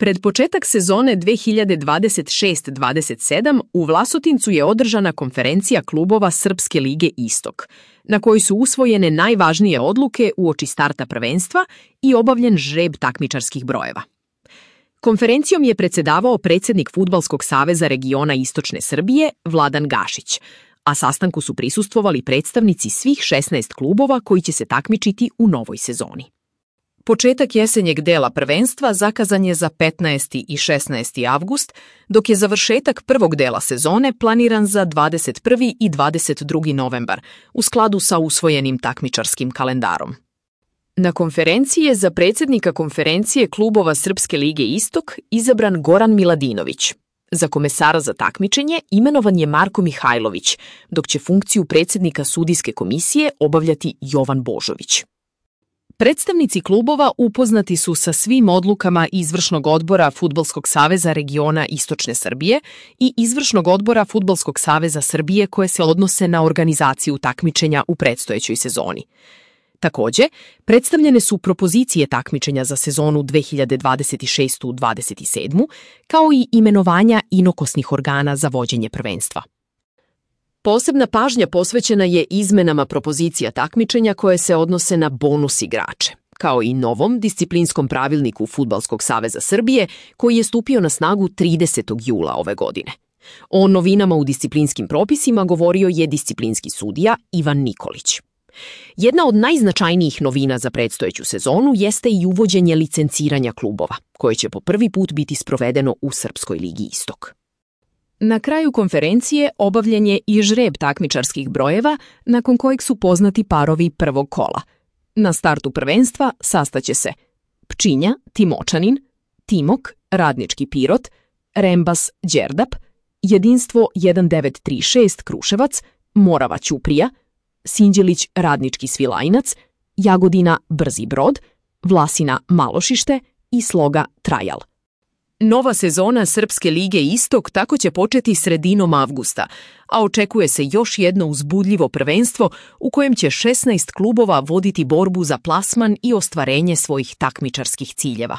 Pred početak sezone 2026-27 u Vlasotincu je održana konferencija klubova Srpske lige Istok, na kojoj su usvojene najvažnije odluke uoči starta prvenstva i obavljen žreb takmičarskih brojeva. Konferencijom je predsedavao predsjednik Fudbalskog saveza regiona Istočne Srbije Vladan Gašić, a sastanku su prisustvovali predstavnici svih 16 klubova koji će se takmičiti u novoj sezoni. Početak jesenjeg dela prvenstva zakazan je za 15. i 16. avgust, dok je završetak prvog dela sezone planiran za 21. i 22. novembar, u skladu sa usvojenim takmičarskim kalendarom. Na konferenciji je za predsjednika konferencije klubova Srpske lige Istok izabran Goran Miladinović. Za komesara za takmičenje imenovan je Marko Mihajlović, dok će funkciju predsjednika sudijske komisije obavljati Jovan Božović. Predstavnici klubova upoznati su sa svim odlukama Izvršnog odbora Fudbalskog saveza regiona Istočne Srbije i Izvršnog odbora Fudbalskog saveza Srbije koje se odnose na organizaciju takmičenja u predstojećoj sezoni. Također, predstavljene su propozicije takmičenja za sezonu 2026-27, kao i imenovanja inokosnih organa za vođenje prvenstva. Posebna pažnja posvećena je izmenama propozicija takmičenja koje se odnose na bonus igrače, kao i novom disciplinskom pravilniku Fudbalskog saveza Srbije koji je stupio na snagu 30. jula ove godine. O novinama u disciplinskim propisima govorio je disciplinski sudija Ivan Nikolić. Jedna od najznačajnijih novina za predstojeću sezonu jeste i uvođenje licenciranja klubova, koje će po prvi put biti sprovedeno u Srpskoj ligi Istok. Na kraju konferencije obavljen je i žreb takmičarskih brojeva, nakon kojeg su poznati parovi prvog kola. Na startu prvenstva sastaće se Pčinja, Timočanin, Timok, Radnički Pirot, Rembas, Đerdap, Jedinstvo 1936, Kruševac, Morava Ćuprija, Sinđelić, Radnički Svilajnac, Jagodina, Brzi Brod, Vlasina, Malošište i Sloga, Trajal. Nova sezona Srpske lige Istok tako će početi sredinom avgusta, a očekuje se još jedno uzbudljivo prvenstvo u kojem će 16 klubova voditi borbu za plasman i ostvarenje svojih takmičarskih ciljeva.